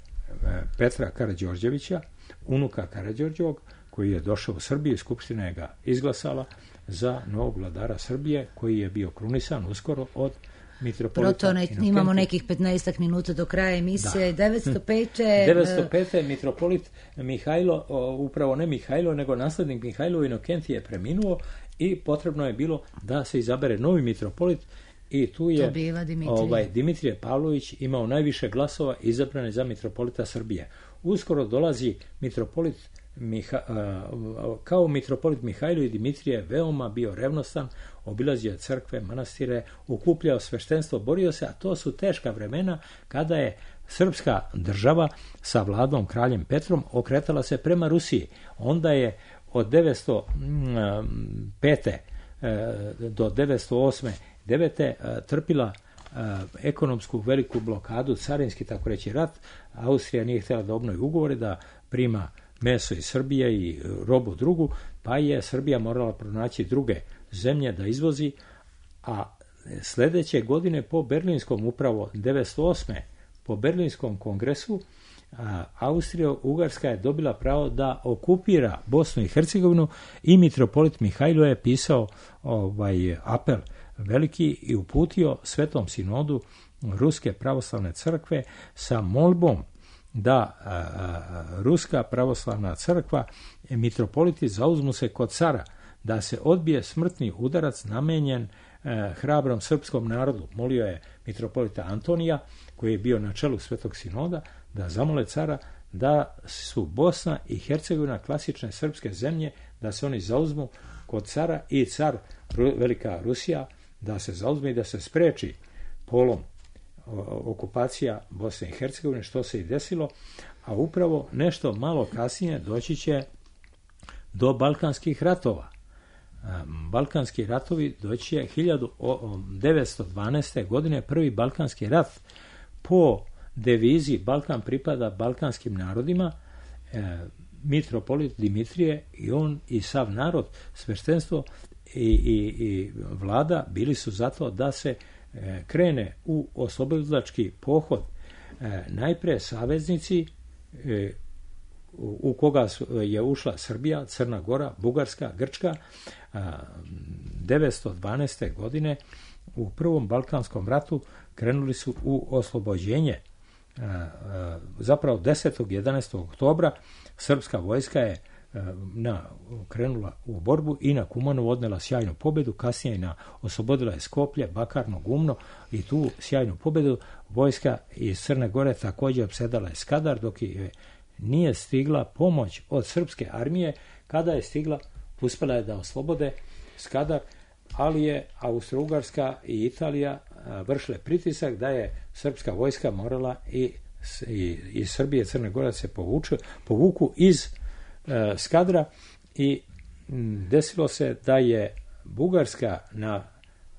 Petra Karađorđevića, unuka Karađorđevog, koji je došao u Srbiju i Skupština je ga izglasala za novog vladara Srbije, koji je bio krunisan uskoro od mitropolita. Proto imamo nekih petnaestak minuta do kraja emisije. Da. devetsto pete. devetsto pete. mitropolit Mihajlo, upravo ne Mihajlo, nego naslednik Mihajlo Inokentije je preminuo i potrebno je bilo da se izabere novi mitropolit, i tu je Dimitrije. Ovaj, Dimitrije Pavlović imao najviše glasova, izabran za mitropolita Srbije. Uskoro dolazi mitropolit Miha, kao mitropolit Mihajlo i Dimitrije veoma bio revnostan, obilazio crkve, manastire, okupljao sveštenstvo, borio se, a to su teška vremena kada je srpska država sa vladom kraljem Petrom okretala se prema Rusiji. Onda je od devetsto pete. do devetsto osme. devete. trpila ekonomsku veliku blokadu, carinski tako reći rat. Austrija nije htjela da obnovi ugovore, da prima meso iz Srbije i robu drugu, pa je Srbija morala pronaći druge zemlje da izvozi, a sljedeće godine po Berlinskom, upravo devetsto osme. po Berlinskom kongresu, Austrija-Ugarska je dobila pravo da okupira Bosnu i Hercegovinu i mitropolit Mihajlo je pisao ovaj apel veliki i uputio Svetom sinodu Ruske pravoslavne crkve sa molbom da a, a, Ruska pravoslavna crkva, mitropoliti zauzmu se kod cara, da se odbije smrtni udarac namenjen a, hrabrom srpskom narodu. Molio je mitropolita Antonija, koji je bio na čelu Svetog sinoda, da zamole cara da su Bosna i Hercegovina klasične srpske zemlje, da se oni zauzmu kod cara i car Velika Rusija da se zauzme i da se spreči polom okupacija Bosne i Hercegovine, što se i desilo, a upravo nešto malo kasnije doći će do Balkanskih ratova. Balkanski ratovi doći će hiljadu devetsto dvanaeste. godine, prvi Balkanski rat po devizi Balkan pripada balkanskim narodima. E, mitropolit Dimitrije i on i sav narod, sveštenstvo i, i, i vlada bili su zato da se e, krene u oslobodilački pohod. E, najpre saveznici e, u, u koga su, je ušla Srbija, Crna Gora, Bugarska, Grčka. A, devetsto dvanaeste. godine u prvom Balkanskom ratu krenuli su u oslobođenje. A, a, zapravo desetog i jedanaestog oktobra srpska vojska je a, na, krenula u borbu i na Kumanovu odnela sjajnu pobedu, kasnije na oslobodila je Skoplje, Bakarno, Gumno, i tu sjajnu pobedu vojska iz Crne Gore također opsedala je Skadar, dok je nije stigla pomoć od srpske armije. Kada je stigla, uspela je da oslobode Skadar, ali je Austro-Ugarska i Italija vršile pritisak da je srpska vojska morala i i, i Srbije i Crne Gore se povuče, povuku iz e, Skadra, i m, desilo se da je Bugarska na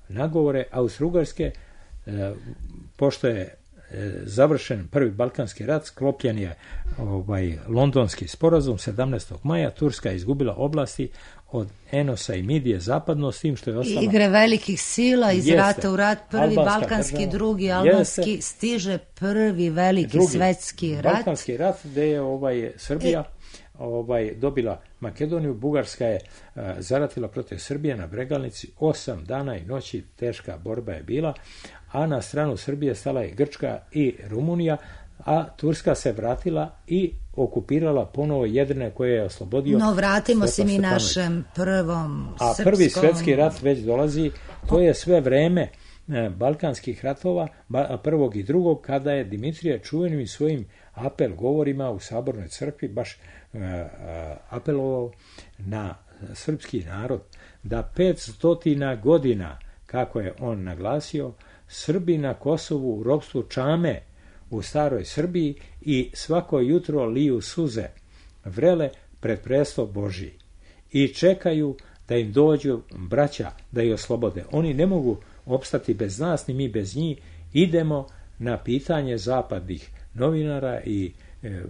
nagovore Austro-Ugarske, e, pošto je e, završen prvi Balkanski rat, sklopljen je ovaj Londonski sporazum sedamnaestog maja, Turska je izgubila oblasti od Enosa i Midije zapadno, s tim što je ostala... Igre velikih sila iz Jeste. rata u rat, prvi Albanska balkanski, država. drugi albanski, Jeste. stiže prvi veliki Drugi svetski rat. Balkanski rat, gde je ovaj, Srbija ovaj, dobila Makedoniju, Bugarska je uh, zaratila protiv Srbije na Bregalnici, osam dana i noći teška borba je bila, a na stranu Srbije stala je Grčka i Rumunija, a Turska se vratila i okupirala ponovo Jedrine koje je oslobodio. No, vratimo se mi Stjepan našem prvom A srpskom... prvi svjetski rat već dolazi, to je sve vreme e, balkanskih ratova, ba, prvog i drugog, kada je Dimitrije čuvenim svojim apel govorima u Sabornoj crkvi baš e, e, apelovao na srpski narod da petstotina godina, kako je on naglasio, Srbi na Kosovu u ropstvu čame u staroj Srbiji i svako jutro liju suze vrele pred presto Božji i čekaju da im dođu braća da ih oslobode. Oni ne mogu opstati bez nas, ni mi bez njih. Idemo na pitanje zapadnih novinara i e,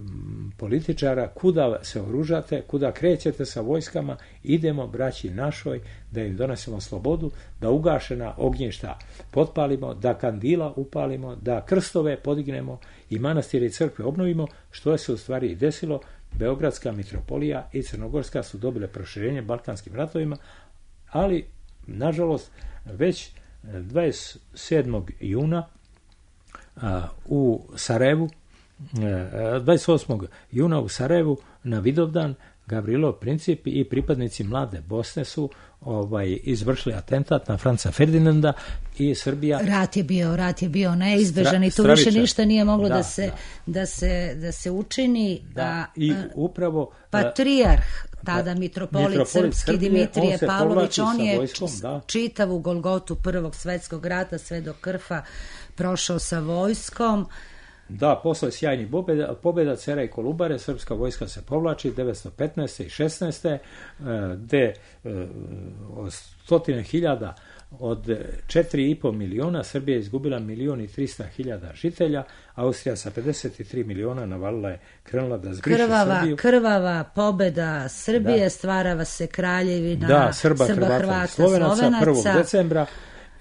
političara, kuda se oružate, kuda krećete sa vojskama, idemo braći našoj da im donesemo slobodu, da ugašena ognjišta potpalimo, da kandila upalimo, da krstove podignemo i manastire i crkve obnovimo, što se u stvari i desilo. Beogradska mitropolija i Crnogorska su dobile proširenje Balkanskim ratovima, ali nažalost već dvadeset sedmog juna a, u Sarajevu, dvadeset osmog juna u Sarajevu na Vidovdan Gavrilov Princip i pripadnici Mlade Bosne su ovaj, izvršili atentat na Franca Ferdinanda i Srbija... Rat je bio, rat je bio neizbežan i tu stravičan. više ništa nije moglo da, Da, se, da. da, se, da se učini. Da, a, i a, upravo... Patrijarh, tada mitropolit, mitropolit srpski Srbije, Dimitrije on se Pavlović, povlači on sa je vojskom, da. čitavu Golgotu Prvog svjetskog rata sve do krfa prošao sa vojskom. Da, posle sjajnih pobjeda, pobjeda Cera i Kolubare, srpska vojska se povlači devetsto petnaeste i šesnaeste gde od stotine hiljada od četiri i po miliona, Srbija je izgubila milion i trista hiljada žitelja, Austrija sa pedeset tri miliona navalila je, krenula da zbriše krvava, Srbiju. Krvava pobjeda Srbije, Da. stvarava se kraljevina Da, Srba, Srba Hrvata, Hrvata, i Slovenaca, Slovenaca. prvog decembra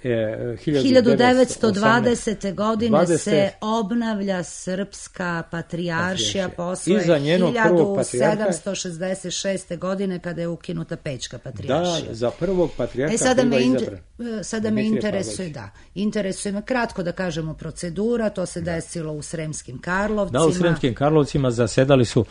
E, hiljadu devetsto dvadesete godine dvadesete se obnavlja srpska patrijaršija posle Iza njenog prvog patrijarha- hiljadu sedamsto šezdeset šeste godine kada je ukinuta Pećka Da, patrijaršija. za prvog patrijarha E sada me, biva inter, izabran sada me Dimitrije interesuje, Pavlović. da, interesuje me kratko da kažemo procedura, to se desilo u Sremskim Karlovcima. Da, u Sremskim Karlovcima zasedali su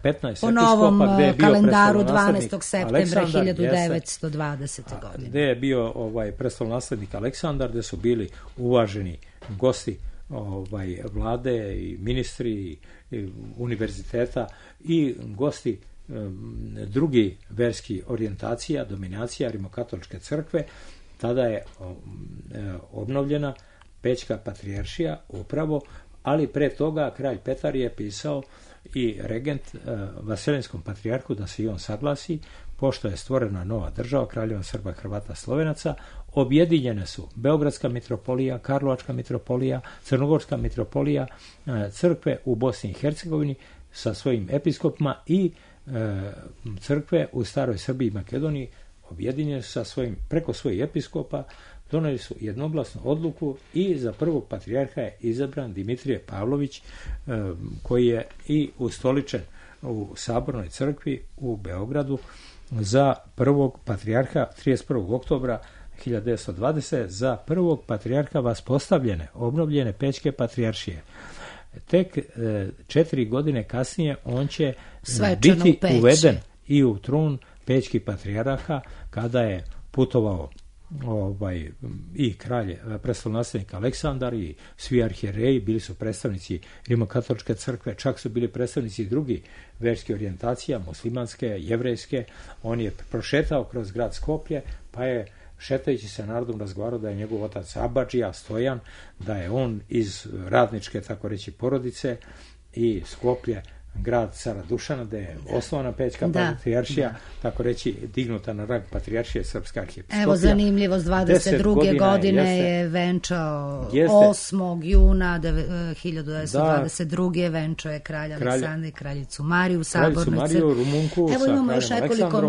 petnaest po novom episkopa, gde je bio kalendaru prestolonaslednik dvanaestog septembra Aleksandar, hiljadu devetsto jeste. dvadesete godine. Gde je bio ovaj prestolonaslednik Aleksandar, gde su bili uvaženi gosti ovaj vlade i ministri i, i univerziteta i gosti um, drugi verski orijentacija, dominacija rimokatoličke crkve. Tada je um, obnovljena Pećka patrijaršija upravo, ali pre toga kralj Petar je pisao i regent uh, Vasilinskom patrijarhu da se i on saglasi, pošto je stvorena nova država, kraljeva Srba, Hrvata, Slovenaca. Objedinjene su Beogradska mitropolija, Karlovačka mitropolija, Crnogorska mitropolija, crkve u Bosni i Hercegovini sa svojim episkopima i e, crkve u staroj Srbiji i Makedoniji objedinjene su sa svojim, preko svojih episkopa, doneli su jednoglasnu odluku i za prvog patrijarha je izabran Dimitrije Pavlović, e, koji je i ustoličen u Sabornoj crkvi u Beogradu za prvog patrijarha trideset prvog oktobra hiljadu devetsto dvadesete za prvog patrijarha vaspostavljene, obnovljene Pećke patrijaršije. Tek e, četiri godine kasnije on će Svečano biti u uveden i u trun Pećkih patrijarha kada je putovao ovaj, i kralj, prestolonaslednik Aleksandar i svi arhijereji, bili su predstavnici rimokatoličke crkve, čak su bili predstavnici drugih verskih orijentacija, muslimanske, jevrejske. On je prošetao kroz grad Skoplje, pa je šetajući se narodom razgovarao da je njegov otac Abadžija Stojan, da je on iz radničke, tako reći, porodice i Skoplje grad cara Dušana, gde je osnovana Pećka da, patrijaršija, da. tako reći dignuta na rang patrijaršije Srpska arhijepiskopija. Evo zanimljivo, s dvadeset druge godine jeste, je venčao jeste, osmog juna hiljadu devetsto dvadeset druge. Da, venčao je kralja kralj, Aleksandra i kraljicu Mariju u Sabornoj crkvi. Rumunku, evo imamo još nekoliko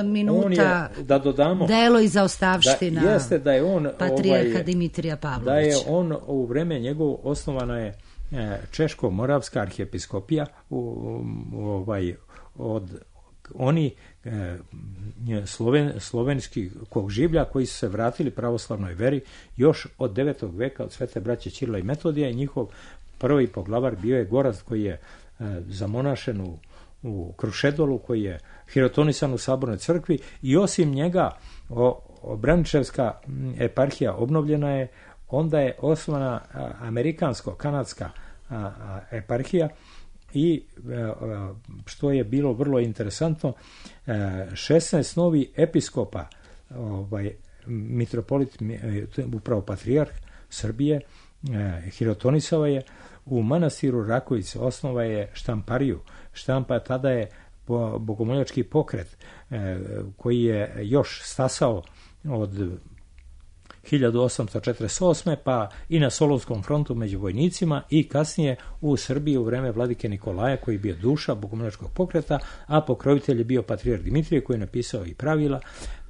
minuta. Je, da dodamo, delo i zaostavština da, jeste da je on, patrijarha ovaj, Dimitrija Pavlovića. Da je on u vreme njegovo osnovana je Češko-Moravska arhijepiskopija u, u, ovaj, od oni e, sloven, slovenskih kog življa koji su se vratili pravoslavnoj veri još od devetog veka od svete braće Ćirila i Metodija i njihov prvi poglavar bio je Gorazd koji je e, zamonašen u, u Krušedolu, koji je hirotonisan u Sabornoj crkvi i osim njega o, o Braničevska eparhija obnovljena je. Onda je osnovana amerikansko-kanadska eparhija i što je bilo vrlo interesantno, šesnaest novi episkopa, ovaj, mitropolit, upravo patrijarh Srbije, hirotonisao je u manastiru Rakovice, osnova je štampariju. Štampa tada je bogomoljački pokret koji je još stasao od hiljadu osamsto četrdeset osme pa i na Solunskom frontu među vojnicima i kasnije u Srbiji u vreme vladike Nikolaja koji je bio duša bogomoljačkog pokreta, a pokrovitelj je bio patrijarh Dimitrije koji je napisao i pravila.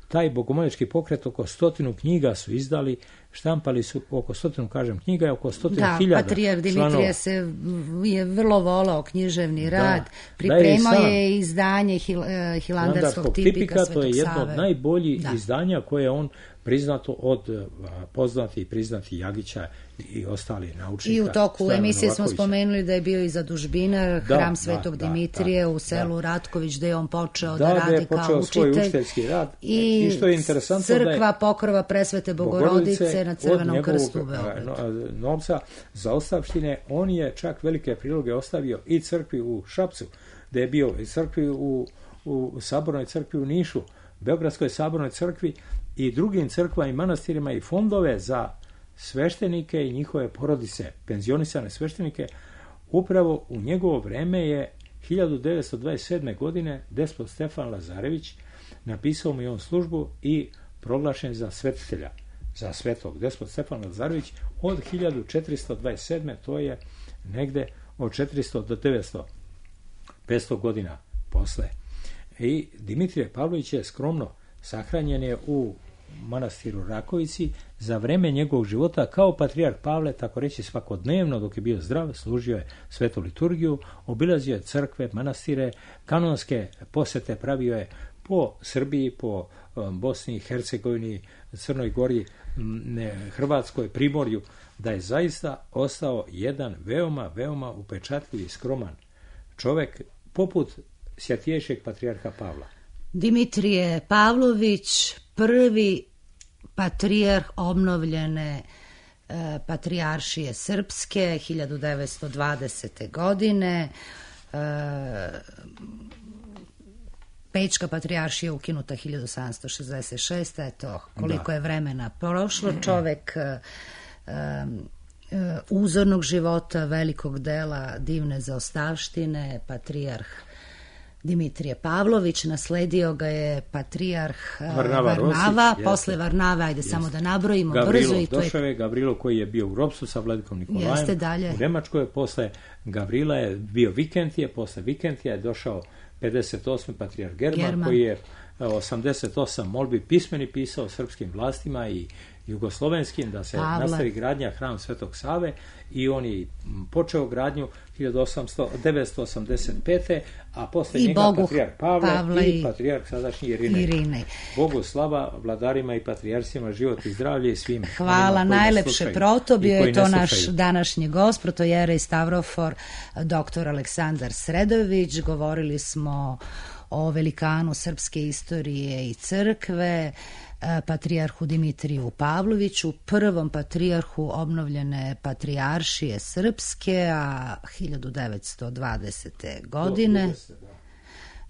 Taj bogomoljački pokret oko stotinu knjiga su izdali, štampali su oko stotinu, kažem, knjiga je oko stotinu da, hiljada. Da, patrijarh Dimitrije se je vrlo volao književni rad, da, pripremao da je, je izdanje hil, hilandarskog tipika, tipika Svetog Save. To je jedno od najboljih da. izdanja koje on priznato od poznati i priznati Jagića i ostali naučnika. I u toku emisije smo spomenuli da je bio i zadužbinar hram da, Svetog da, Dimitrije da, u selu da. Ratković, gde je on počeo da, da radi da kao učitelj. Svoj učiteljski rad. I, I što je interesantno crkva da je pokrova Presvete Bogorodice na Crvenom krstu u Beogradu. Novca za ostavštine, on je čak velike priloge ostavio i crkvi u Šapcu, gde je bio i crkvi u, u Sabornoj crkvi u Nišu, Beogradskoj Sabornoj crkvi i drugim crkvama i manastirima i fondove za sveštenike i njihove porodice, penzionisane sveštenike. Upravo u njegovo vreme je hiljadu devetsto dvadeset sedme. godine despot Stefan Lazarević napisao mu je on službu i proglašen za svetitelja, za svetog. Despot Stefan Lazarević od hiljadu četiristo dvadeset sedme. to je negde od četiristo do devetsto, petsto godina posle. I Dimitrije Pavlović je skromno sahranjen je u manastiru Rakovici za vreme njegovog života kao patrijarh Pavle, tako reći svakodnevno dok je bio zdrav, služio je svetu liturgiju, obilazio je crkve, manastire, kanonske posete pravio je po Srbiji, po Bosni i Hercegovini, Crnoj Gori, Hrvatskoj, Primorju, da je zaista ostao jedan veoma, veoma upečatljiv i skroman čovek poput svjatiješeg patrijarha Pavla. Dimitrije Pavlović, prvi patrijarh obnovljene e, patrijaršije srpske, hiljadu devetsto dvadesete. godine. E, Pećka patrijaršija ukinuta hiljadu sedamsto šezdeset šeste. Eto, koliko da. je vremena prošlo. Čovek e, e, uzornog života, velikog dela, divne zaostavštine, patrijarh Dimitrije Pavlović, nasledio ga je patrijarh Varnava, Varnava Rosić, posle jeste. Varnave, ajde jeste. samo da nabrojimo Gavrilo brzo. I to Došave, je... Gavrilo koji je bio u ropstvu sa vladikom Nikolajem jeste, dalje. u Nemačkoj, posle Gavrila je bio Vikentije, posle Vikentija je došao pedeset osmi patrijarh German, German, koji je osamdeset osam molbi pismeni pisao srpskim vlastima i jugoslovenskim da se Pavle. nastavi gradnja hram Svetog Save i on je počeo gradnju hiljadu devetsto osamdeset pete. a posle I njega Bogu, patrijarh Pavle Pavle i, i patrijarh sadašnji Irinej. Irinej. Bogu slava, vladarima i patrijarsima, život i zdravlje i svim. Hvala, najlepše proto, bio je to naš današnji gost, protojerej Stavrofor, doktor Aleksandar Sredojević. Govorili smo o velikanu srpske istorije i crkve, patrijarhu Dimitriju Pavloviću, prvom patrijarhu obnovljene patrijaršije srpske, a hiljadu devetsto dvadesete. godine.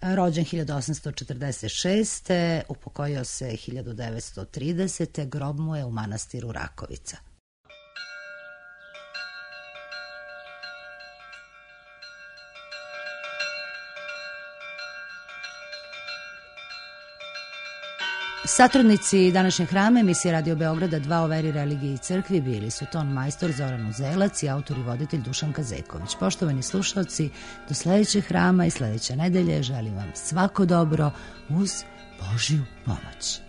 Rođen hiljadu osamsto četrdeset šeste. Upokojio se hiljadu devetsto tridesete. Grob mu je u manastiru Rakovica. Satrudnici današnjeg hrama emisije Radio Beograda dva o veri, religiji i crkvi bili su ton majstor Zoran Uzelac i autor i voditelj Dušan Kazeković. Poštovani slušalci, do sledećeg hrama i sledeće nedelje želim vam svako dobro uz Božju pomoć.